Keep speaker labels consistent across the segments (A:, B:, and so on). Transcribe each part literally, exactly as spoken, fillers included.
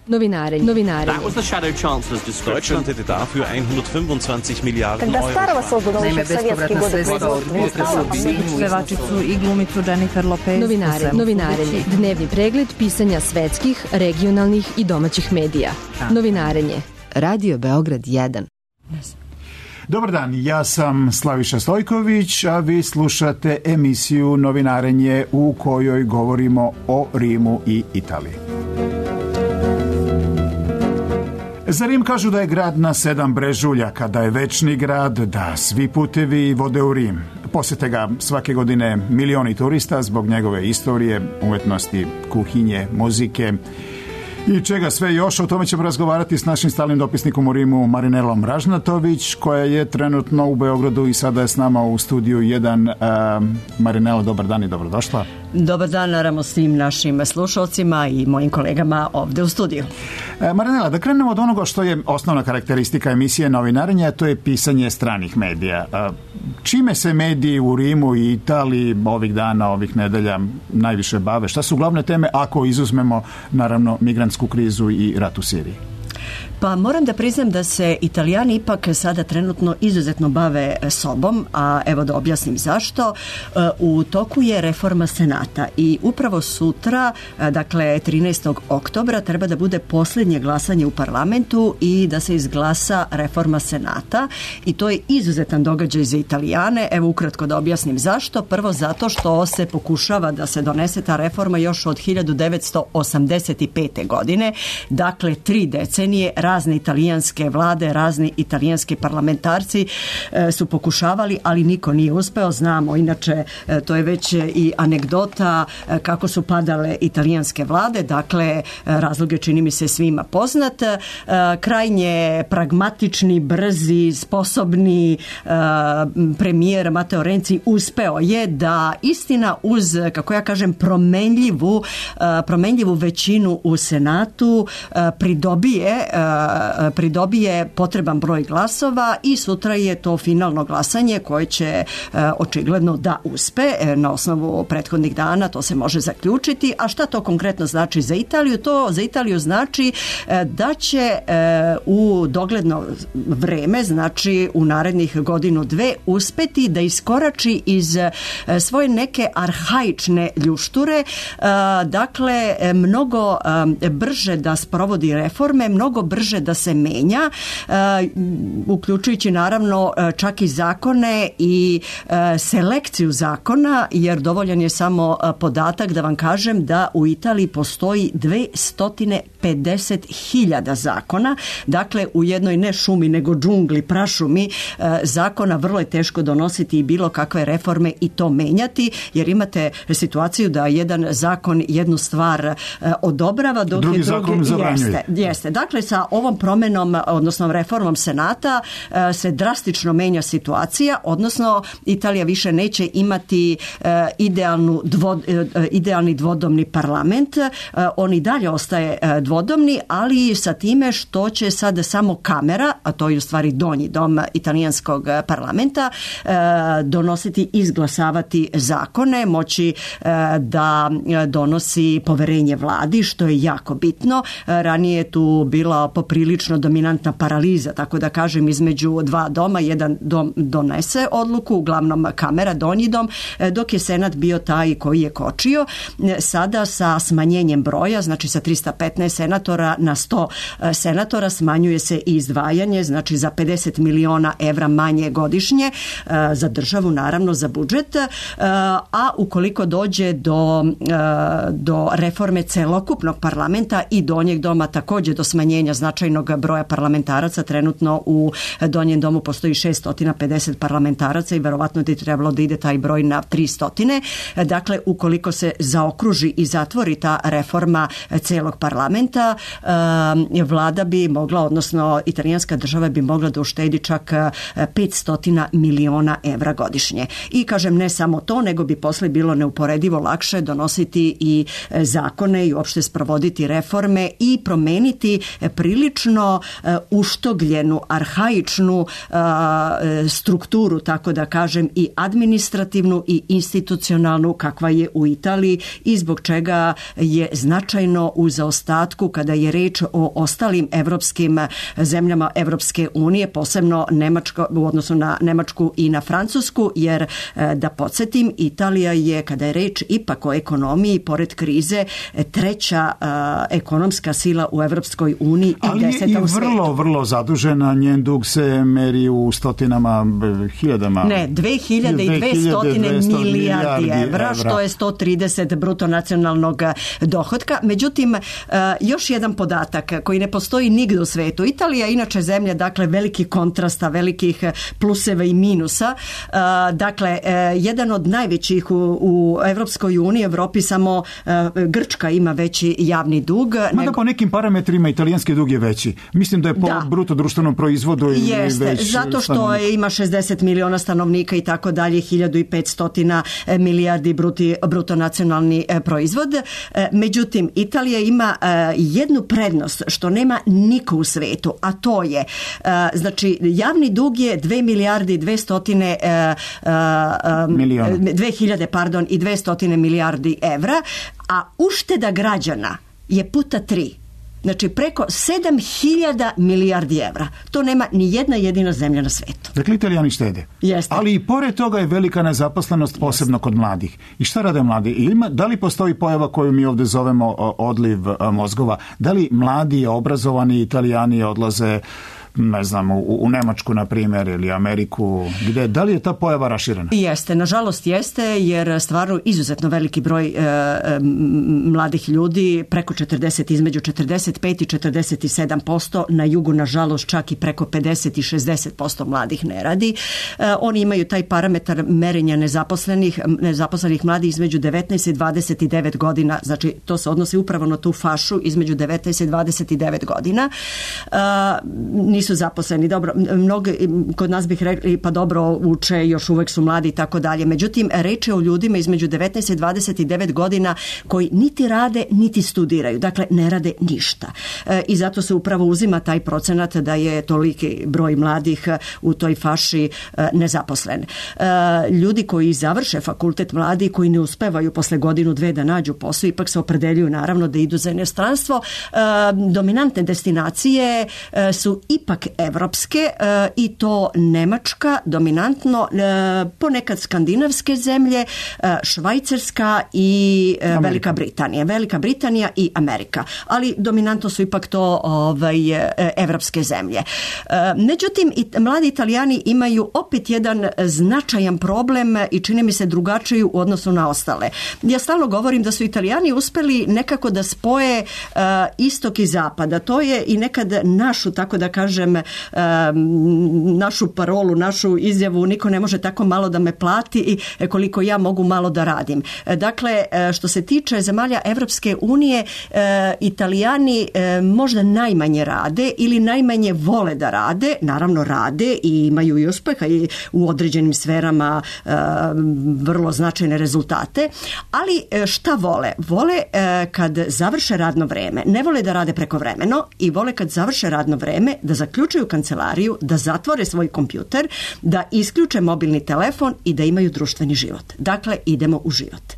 A: Novinarenje. Novinarenje.
B: That was the Shadow Chancellor's description.
C: Deutschland hätte dafür hundertfünfundzwanzig Milliarden
D: Когда
C: Euro.
D: старого создано
E: Naime, bespovratna sredstva od pevačicu i glumicu Jennifer Lopez.
A: Novinarenje. Novinarenje. Dnevni pregled pisanja svetskih, regionalnih i domaćih medija. Novinarenje. Radio Beograd jedan.
F: Dobar dan, ja sam Slaviša Stojković, a vi slušate emisiju Novinarenje u kojoj govorimo o Rimu i Italiji. Za Rim kažu da je grad na sedam brežuljaka, da je večni grad, da svi putevi vode u Rim. Posete ga svake godine milioni turista zbog njegove istorije, umetnosti, kuhinje, muzike i čega sve još. O tome ćemo razgovarati s našim stalnim dopisnikom u Rimu Marinelom Ražnatović, koja je trenutno u Beogradu i sada je s nama u studiju jedan. Uh, Marinela, dobar dan i dobrodošla.
G: Dobar dan, naravno, svim našim slušalcima i mojim kolegama ovde u studiju.
F: E, Marinela, da krenemo od onoga što je osnovna karakteristika emisije Novinarenja, to je pisanje stranih medija. E, čime se mediji u Rimu i Italiji ovih dana, ovih nedelja najviše bave? Šta su glavne teme ako izuzmemo, naravno, migrantsku krizu i rat u Siriji?
G: Pa moram da priznam da se Italijani ipak sada trenutno izuzetno bave sobom, a evo da objasnim zašto. U toku je reforma Senata i upravo sutra, dakle trinaestog oktobra, treba da bude posljednje glasanje u parlamentu i da se izglasa reforma Senata i to je izuzetan događaj za Italijane. Evo ukratko da objasnim zašto. Prvo zato što se pokušava da se donese ta reforma još od hiljadu devetsto osamdeset pete. godine, dakle tri decenije. Razne italijanske vlade, razni italijanski parlamentarci e, su pokušavali, ali niko nije uspeo. Znamo, inače, e, to je već i anegdota e, kako su padale italijanske vlade, dakle, e, razlog je, čini mi se, svima poznat. E, krajnje pragmatični, brzi, sposobni e, premijer Matteo Renzi uspeo je da istina uz, kako ja kažem, promenljivu, e, promenljivu većinu u Senatu e, pridobije pridobije potreban broj glasova i sutra je to finalno glasanje koje će očigledno da uspe. Na osnovu prethodnih dana to se može zaključiti. A šta to konkretno znači za Italiju? To za Italiju znači da će u dogledno vreme, znači u narednih godinu dve, uspeti da iskorači iz svoje neke arhaične ljušture, dakle mnogo brže da sprovodi reforme, mnogo brže da se menja, uh, uključujući naravno čak i zakone i uh, selekciju zakona, jer dovoljan je samo uh, podatak da vam kažem da u Italiji postoji dvesta pedeset hiljada zakona, dakle u jednoj ne šumi nego džungli, prašumi uh, zakona vrlo je teško donositi i bilo kakve reforme i to menjati, jer imate situaciju da jedan zakon jednu stvar uh, odobrava, dok drugi je drugi jeste, jeste. Dakle, sa ovom promenom, odnosno reformom Senata se drastično menja situacija, odnosno Italija više neće imati idealnu dvo, idealni dvodomni parlament. On i dalje ostaje dvodomni, ali sa time što će sad samo kamera, a to je u stvari donji dom italijanskog parlamenta, donositi i izglasavati zakone, moći da donosi poverenje vladi, što je jako bitno. Ranije je tu bila poprilično dominantna paraliza, tako da kažem, između dva doma. Jedan dom donese odluku, uglavnom kamera, donji dom, dok je Senat bio taj koji je kočio. Sada sa smanjenjem broja, znači sa trista petnaest senatora na sto senatora, smanjuje se i izdvajanje, znači za pedeset miliona evra manje godišnje za državu, naravno za budžet, a ukoliko dođe do, do reforme celokupnog parlamenta i donjeg doma, također do smanjenja značajnog broja parlamentaraca. Trenutno u donjem domu postoji šesto pedeset parlamentaraca i verovatno bi trebalo da ide taj broj na tristo. Dakle, ukoliko se zaokruži i zatvori ta reforma celog parlamenta, vlada bi mogla, odnosno italijanska država bi mogla da uštedi čak petsto miliona evra godišnje. I kažem, ne samo to, nego bi posle bilo neuporedivo lakše donositi i zakone i uopšte sprovoditi reforme i promeniti prilično prilično uštogljenu, arhaičnu strukturu, tako da kažem, i administrativnu i institucionalnu kakva je u Italiji i zbog čega je značajno u zaostatku kada je reč o ostalim evropskim zemljama Evropske unije, posebno Nemačko, u odnosu na Nemačku i na Francusku, jer da podsjetim, Italija je, kada je reč ipak o ekonomiji, pored krize, treća a, ekonomska sila u Evropskoj uniji i deseta u svijetu.
F: Ali je i vrlo, vrlo zadužena, njen dug se meri u stotinama, hiljadama.
G: Ne, dve hiljade dvesta milijardi evra, što je sto trideset bruto nacionalnog dohotka. Međutim, još jedan podatak koji ne postoji nigdje u svetu. Italija je inače zemlja, dakle, velikih kontrasta, velikih pluseva i minusa. Dakle, jedan od najvećih u, u Evropskoj uniji, Evropi samo Grčka ima veći javni dug.
F: Mada
G: nego...
F: po nekim parametrima italijanski dug je veći. Mislim da je po da. bruto društvenom proizvodu i
G: Jeste,
F: već
G: zato što je, ima šezdeset miliona stanovnika i tako dalje, hiljadu petsto milijardi bruti, bruto nacionalni proizvod. Međutim, Italija ima jednu prednost što nema niko u svetu, a to je, znači, javni dug je dve milijarde dvesta miliona. dve hiljade, pardon, i dvesta milijardi evra, a ušteda građana je puta tri. Znači preko sedam hiljada milijardi evra. To nema ni jedna jedina zemlja na svetu.
F: Dakle, Italijani štede.
G: Jeste.
F: Ali i pored toga je velika nezaposlenost, posebno Jeste. kod mladih. I šta rade mladi? Ima, da li postoji pojava koju mi ovdje zovemo odliv mozgova? Da li mladi, obrazovani Italijani odlaze, ne znam, u, u Nemačku, na primjer, ili Ameriku, gdje, da li je ta pojava raširena?
G: Jeste, nažalost jeste, jer stvarno izuzetno veliki broj e, e, mladih ljudi, preko četrdeset, između četrdeset pet i četrdeset sedam posto, na jugu, nažalost, čak i preko pedeset i šezdeset posto mladih ne radi. E, oni imaju taj parametar merenja nezaposlenih, nezaposlenih mladih između devetnaest i dvadeset devet godina, znači to se odnosi upravo na tu fašu između devetnaest i dvadeset devet godina. E, nisu zaposleni. Dobro, mnogi kod nas bih rekli, pa dobro, uče, još uvek su mladi i tako dalje. Međutim, reč je o ljudima između devetnaest i dvadeset devet godina koji niti rade, niti studiraju. Dakle, ne rade ništa. E, I zato se upravo uzima taj procenat da je toliki broj mladih u toj faši e, nezaposlen. E, ljudi koji završe fakultet, mladi koji ne uspevaju posle godinu, dve da nađu posao, ipak se opredeljuju naravno da idu za inostranstvo. E, dominantne destinacije e, su ipak evropske e, i to Nemačka dominantno, e, ponekad skandinavske zemlje, e, Švajcarska i e, Velika Britanija. Velika Britanija i Amerika. Ali dominantno su ipak to ovaj, e, evropske zemlje. E, međutim, i, mladi Italijani imaju opet jedan značajan problem i čini mi se drugačiji u odnosu na ostale. Ja stalno govorim da su Italijani uspeli nekako da spoje e, istok i zapad. A to je i nekad našu, tako da kažem, našu parolu, našu izjavu, niko ne može tako malo da me plati i koliko ja mogu malo da radim. Dakle, što se tiče zemalja Evropske unije, Italijani možda najmanje rade ili najmanje vole da rade, naravno rade i imaju i uspeha i u određenim sferama vrlo značajne rezultate, ali šta vole? Vole kad završe radno vreme, ne vole da rade prekovremeno i vole kad završe radno vreme da zaključuju kancelariju, da zatvore svoj kompjuter, da isključe mobilni telefon i da imaju društveni život. Dakle, idemo u život.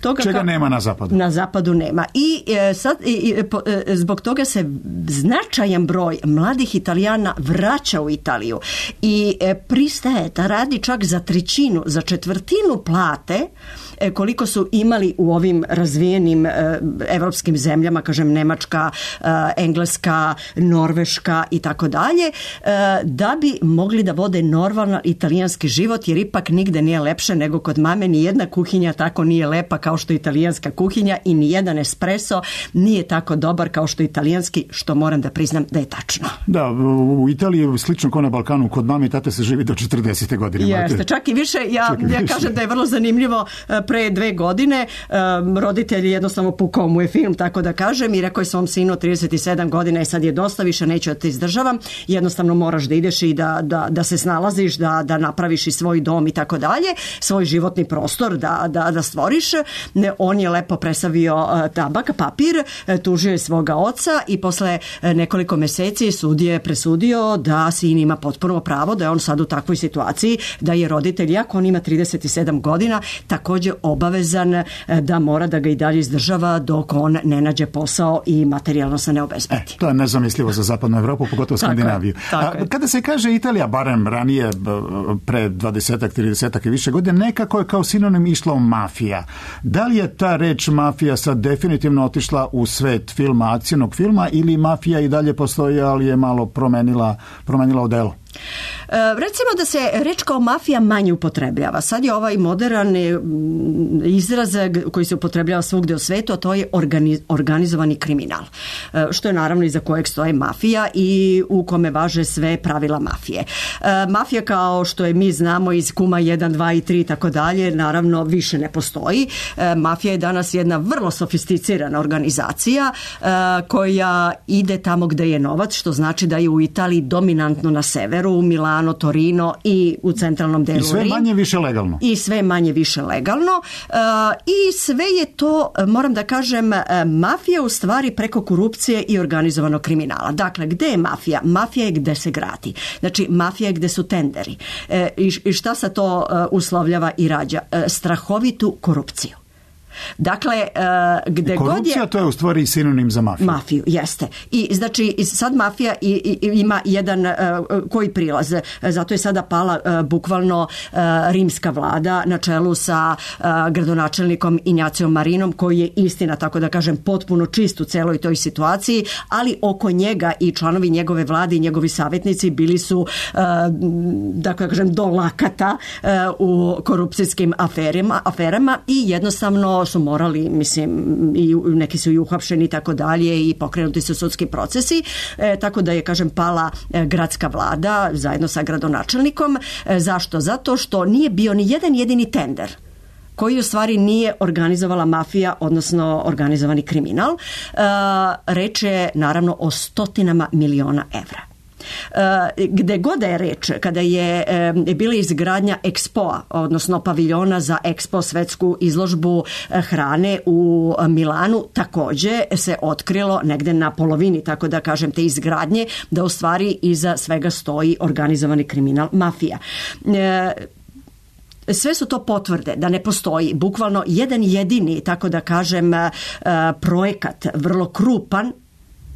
G: Toga
F: Čega
G: ka...
F: nema na zapadu?
G: Na zapadu nema. I e, sad i, po, e, zbog toga se značajan broj mladih Italijana vraća u Italiju i e, pristaje da radi čak za trećinu, za četvrtinu plate e, koliko su imali u ovim razvijenim e, evropskim zemljama, kažem Nemačka, e, Engleska, Norveška i tako dalje, da bi mogli da vode normalan italijanski život, jer ipak nigde nije lepše nego kod mame. Ni jedna kuhinja tako nije lepa kao što je italijanska kuhinja i ni jedan espresso nije tako dobar kao što je italijanski, što moram da priznam da je tačno.
F: Da, u Italiji slično kao na Balkanu, kod mame i tate se živi do četrdesete godine.
G: Jeste, čak i više. Ja,
F: i više.
G: ja kažem da je vrlo zanimljivo. pre dve godine um, roditelji jednostavno pukao mu je film, tako da kažem, i rekao je svom sinu trideset sedam godina i sad je dosta, više neću da te izdržavam, jednostavno moraš da ideš i da, da, da se snalaziš, da, da napraviš i svoj dom i tako dalje, svoj životni prostor da, da, da stvoriš. Ne, on je lepo presavio uh, tabak, papir, uh, tužio je svoga oca i posle uh, nekoliko meseci sud je presudio da sin ima potpuno pravo, da je on sad u takvoj situaciji da je roditelj, iako on ima trideset sedam godina, također obavezan uh, da mora da ga i dalje izdržava dok on ne nađe posao i materijalno se ne obezbedi.
F: E, to je nezamislivo za zapadnu Evropu, pogotovo Skandinaviju.
G: Tako je.
F: A, kada se kaže Italija, barem ranije, pre dvadesetak, tridesetak i više godine, nekako je kao sinonim išlo mafija. Da li je ta reč mafija sad definitivno otišla u svet filma, akcijnog filma, ili mafija i dalje postoji, ali je malo promenila, promenila odelo?
G: E, recimo da se reč kao mafija manje upotrebljava. Sad je ovaj modern izraz koji se upotrebljava svugde u svetu, a to je organiz, organizovani kriminal. E, što je naravno iza kojeg stoje mafija i u kome važe sve pravila mafije. E, mafija kao što je mi znamo iz Kuma jedan, dva i tri i tako dalje, naravno više ne postoji. E, mafija je danas jedna vrlo sofisticirana organizacija e, koja ide tamo gde je novac, što znači da je u Italiji dominantno na severu, u Milano, Torino i u centralnom delu Rima.
F: I sve manje više legalno.
G: I sve manje više legalno. Uh, I sve je to, moram da kažem, uh, mafija u stvari preko korupcije i organizovanog kriminala. Dakle, gde je mafija? Mafija je gde se gradi. Znači, mafija je gde su tenderi. Uh, i, I šta se to uh, uslovljava i rađa? Uh, strahovitu korupciju. Dakle, uh, gde god je...
F: Korupcija, to je u stvari sinonim za mafiju.
G: Mafiju, jeste. I znači, sad mafija i, i, ima jedan uh, koji prilaz. Zato je sada pala uh, bukvalno uh, rimska vlada na čelu sa uh, gradonačelnikom Injacijom Marinom, koji je, istina, tako da kažem, potpuno čist u celoj toj situaciji, ali oko njega i članovi njegove vlade i njegovi savjetnici bili su, uh, da kažem, do lakata uh, u korupcijskim aferima, aferama i jednostavno su morali, mislim, i neki su i uhapšeni i tako dalje i pokrenuti su sudski procesi, e, tako da je, kažem, pala e, gradska vlada zajedno sa gradonačelnikom. E, zašto? Zato što nije bio ni jedan jedini tender koji u stvari nije organizovala mafija, odnosno organizovani kriminal. E, reč je naravno o stotinama miliona evra. Gde god da je reč, kada je e, bila izgradnja Expoa, odnosno paviljona za Expo, svetsku izložbu hrane u Milanu, takođe se otkrilo negde na polovini, tako da kažem, te izgradnje, da u stvari iza svega stoji organizovani kriminal, mafija. E, Sve su to potvrde da ne postoji bukvalno jedan jedini, tako da kažem, projekat, vrlo krupan,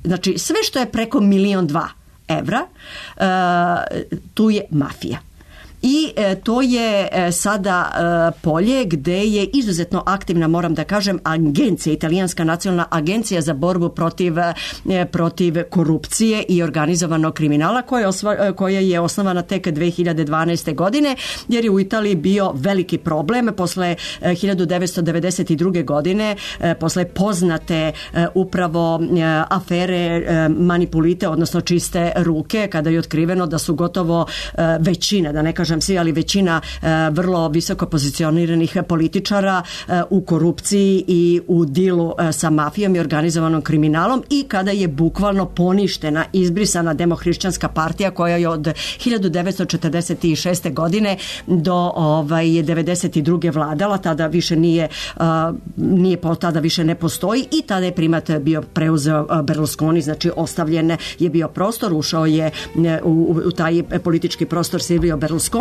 G: znači sve što je preko milion dva evra, uh, tu je mafija. I e, to je e, sada e, polje gde je izuzetno aktivna, moram da kažem, agencija, italijanska nacionalna agencija za borbu protiv, e, protiv korupcije i organizovanog kriminala, koja je, osva, koja je osnovana tek dve hiljade dvanaeste. godine, jer je u Italiji bio veliki problem posle e, hiljadu devetsto devedeset druge. godine, e, posle poznate e, upravo e, afere e, manipulite, odnosno čiste ruke, kada je otkriveno da su gotovo e, većina, da ne kažem svi, ali većina e, vrlo visoko pozicioniranih političara e, u korupciji i u dilu e, sa mafijom i organizovanom kriminalom, i kada je bukvalno poništena, izbrisana Demohrišćanska partija koja je od hiljadu devetsto četrdeset šeste. godine do ovaj, devedeset druge. vladala, tada više nije, a, nije tada više ne postoji, i tada je primat bio preuzeo Berlusconi, znači ostavljen je bio prostor, ušao je u, u taj politički prostor Silvio Berlusconi.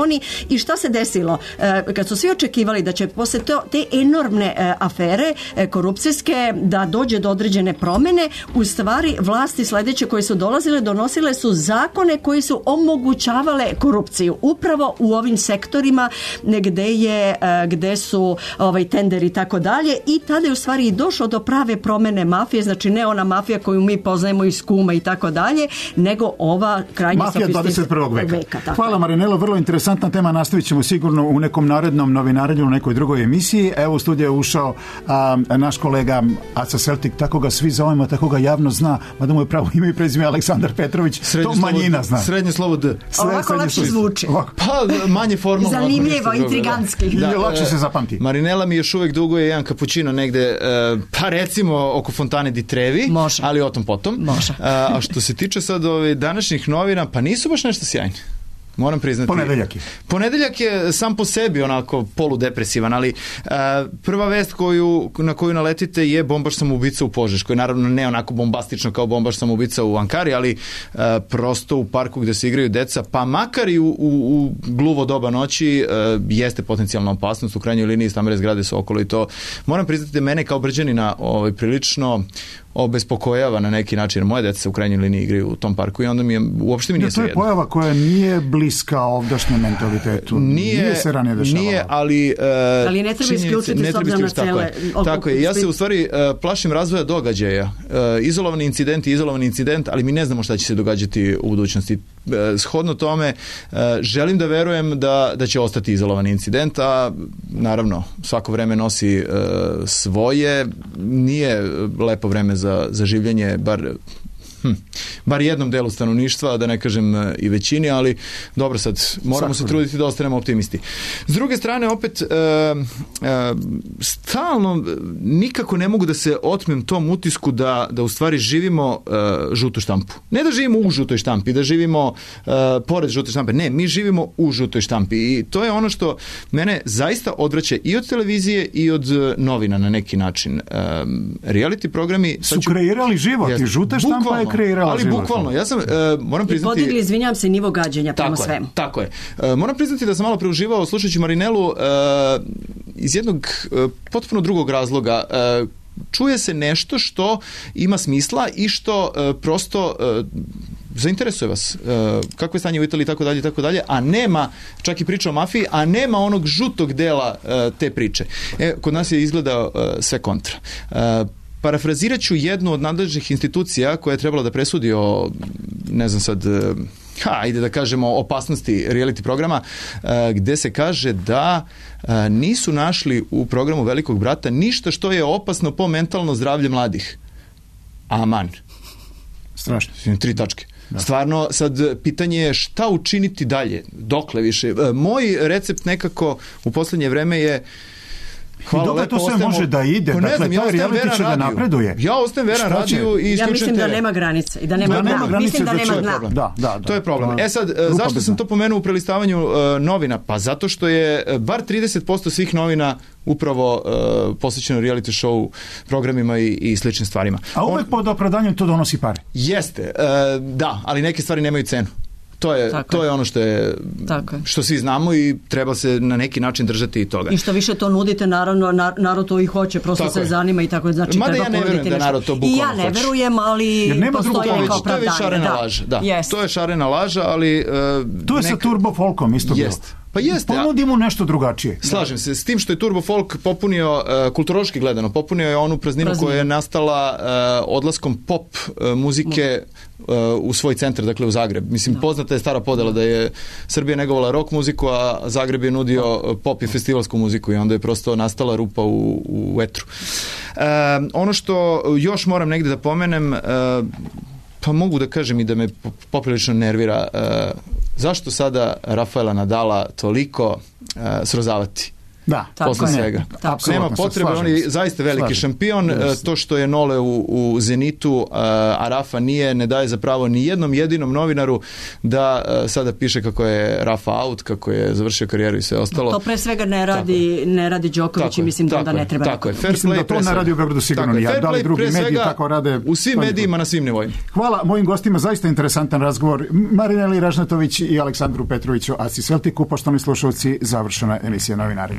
G: I šta se desilo? E, kad su svi očekivali da će posle to, te enormne e, afere e, korupcijske da dođe do određene promene, u stvari vlasti sledeće koje su dolazile donosile su zakone koji su omogućavale korupciju upravo u ovim sektorima gde je e, gde su ovaj tenderi i tako dalje, i tada je u stvari i došlo do prave promene mafije, znači ne ona mafija koju mi poznajemo iz Kuma i tako dalje, nego ova krajnje
F: mafija dvadeset prvog. veka. veka Hvala Marinelo, vrlo interesantno interesantna tema, nastavit ćemo sigurno u nekom narednom novinarenju, u nekoj drugoj emisiji. Evo u studiju je ušao a, naš kolega Aca Celtic, tako ga svi zovemo, tako ga javno zna, mada mu je pravo ime i prezime Aleksandar Petrović,
B: srednje
F: to manjina zna.
B: Srednje slovo D.
G: Ovako lakše zvuči.
B: Pa manje formalno.
G: Zanimljivo, intrigantski.
F: I lakše se zapamti.
B: Marinela mi još uvijek duguje jedan kapućino negde, pa recimo oko Fontane di Trevi,
G: može,
B: ali o tom potom.
G: Može.
B: A što se tiče sad ove današnjih novina, pa nisu baš nešto sjajni. Moram priznati.
F: Ponedeljak je.
B: Ponedeljak je sam po sebi onako poludepresivan, ali uh, prva vest koju, na koju naletite je bombaš samoubica u Požeškoj. Naravno ne onako bombastično kao bombaš samoubica u Ankari, ali uh, prosto u parku gde se igraju deca, pa makar i u, u, u gluvo doba noći uh, jeste potencijalna opasnost. U krajnjoj liniji stambene zgrade su okolo i to. Moram priznati da mene kao Brđanina ovaj, prilično obespokojava na neki način, jer moje deca se u krajnjoj liniji igraju u tom parku i onda mi je, uopšte mi nije sve jedno.
F: To je pojava koja nije bliska ovdašnjem mentalitetu. Nije, nije se ranije dešavala.
B: Nije, ali... Uh,
G: ali ne treba isključiti s obzirom na cele...
B: Tako je, ja se u stvari uh, plašim razvoja događaja. Uh, izolovani incident i izolovani incident, ali mi ne znamo šta će se događati u budućnosti. Uh, shodno tome, uh, želim da verujem da, da će ostati izolovani incident, a naravno, svako vreme nosi uh, svoje. Nije lepo vreme za za, za življenje, bar, hm, bar jednom delu stanovništva, da ne kažem i većini, ali dobro, sad moramo Svakog. se truditi da ostanemo optimisti. S druge strane, opet, e, e, stalno nikako ne mogu da se otmem tom utisku da, da u stvari živimo e, žutu štampu. Ne da živimo u žutoj štampi, da živimo e, pored žute štampe. Ne, mi živimo u žutoj štampi i to je ono što mene zaista odvraća i od televizije i od novina na neki način. E, reality programi
F: su ću, kreirali život jest, i žuta štampa bukvalno, je kreirala
B: ali
F: život.
B: Ali bukvalno, ja sam, e, moram priznati...
G: I podigli, izvinjam se, nivo gađenja prema svemu.
B: Tako je. E, moram priznati da sam malo preuživao slušajući Marinelu e, iz jednog e, potpuno drugog razloga. E, čuje se nešto što ima smisla i što e, prosto... E, zainteresuje vas uh, kako je stanje u Italiji i tako dalje i tako dalje, a nema, čak i priča o mafiji, a nema onog žutog dela uh, te priče. E, kod nas je izgleda uh, sve kontra. Uh, parafrazirat ću jednu od nadležnih institucija koja je trebala da presudi o, ne znam sad, uh, ha, ajde da kažemo opasnosti reality programa, uh, gde se kaže da uh, nisu našli u programu Velikog brata ništa što je opasno po mentalno zdravlje mladih. Aman.
F: Strašno.
B: Tri tačke. Da. Stvarno, sad pitanje je šta učiniti dalje, dokle više. Moj recept nekako u poslednje vreme je hvala lepo,
F: to sve
B: ostajemo,
F: može da ide,
B: pa
F: dakle,
B: znam, ja
F: taj reality će da napreduje.
B: Ja ostajem veran radiju i
G: ja mislim da nema granice i da nema, da nema granice, mislim da nema dna.
F: Da, da, da.
B: To je problem. E sad, zašto sam to pomenuo u prelistavanju uh, novina? Pa zato što je bar trideset posto svih novina upravo uh, posvećeno reality show programima i, i sličnim stvarima.
F: A uvek On, pod opravdanjem to donosi pare.
B: Jeste, uh, da, ali neke stvari nemaju cenu. To je, to je ono što je, što svi znamo i treba se na neki način držati i toga.
G: I što više to nudite, naravno, narod to i hoće, prosto tako se je. zanima i tako, znači
B: mada
G: treba
B: ja ne verujem da narod to bukvalno
G: hoće. I ja ne
B: hoće.
G: verujem, ali postoji neka opravdanje.
B: To je već šarena
G: da.
B: laža, da. Yes. To je šarena laža, ali... Uh,
F: to je neka... sa turbo folkom isto bilo.
B: Jest. Pa jeste.
F: Ponudimo nešto drugačije.
B: Slažem se. S tim što je Turbo Folk popunio, uh, kulturološki gledano, popunio je onu prazninu Prazninu. koja je nastala uh, odlaskom pop uh, muzike uh, u svoj centar, dakle u Zagreb. Mislim, da. poznata je stara podela da je Srbija negovala rock muziku, a Zagreb je nudio pop i festivalsku muziku i onda je prosto nastala rupa u, u etru. Uh, ono što još moram negde da pomenem, uh, pa mogu da kažem i da me poprilično nervira, uh, zašto sada Rafaela Nadala toliko uh, srozavati?
F: Da,
B: posle svega.
F: Tako,
B: nema potrebe, on je zaista veliki slažem. šampion. Yes. To što je Nole u, u Zenitu, a Rafa nije, ne daje za pravo ni jednom jedinom novinaru da sada piše kako je Rafa out, kako je završio karijeru i sve ostalo.
G: To pre svega ne radi, ne radi Đoković i mislim da onda ne treba.
B: Tako je, fair
F: mislim
B: play
F: da to ne radi u Beogradu sigurno nije. Da li drugi mediji tako rade?
B: U svim medijima na svim nivoima.
F: Hvala mojim gostima, zaista interesantan razgovor. Marineli Ražnatović i Aleksandru Petroviću, Aci Celticu, poštovani slušalci, završena emisija Novinari.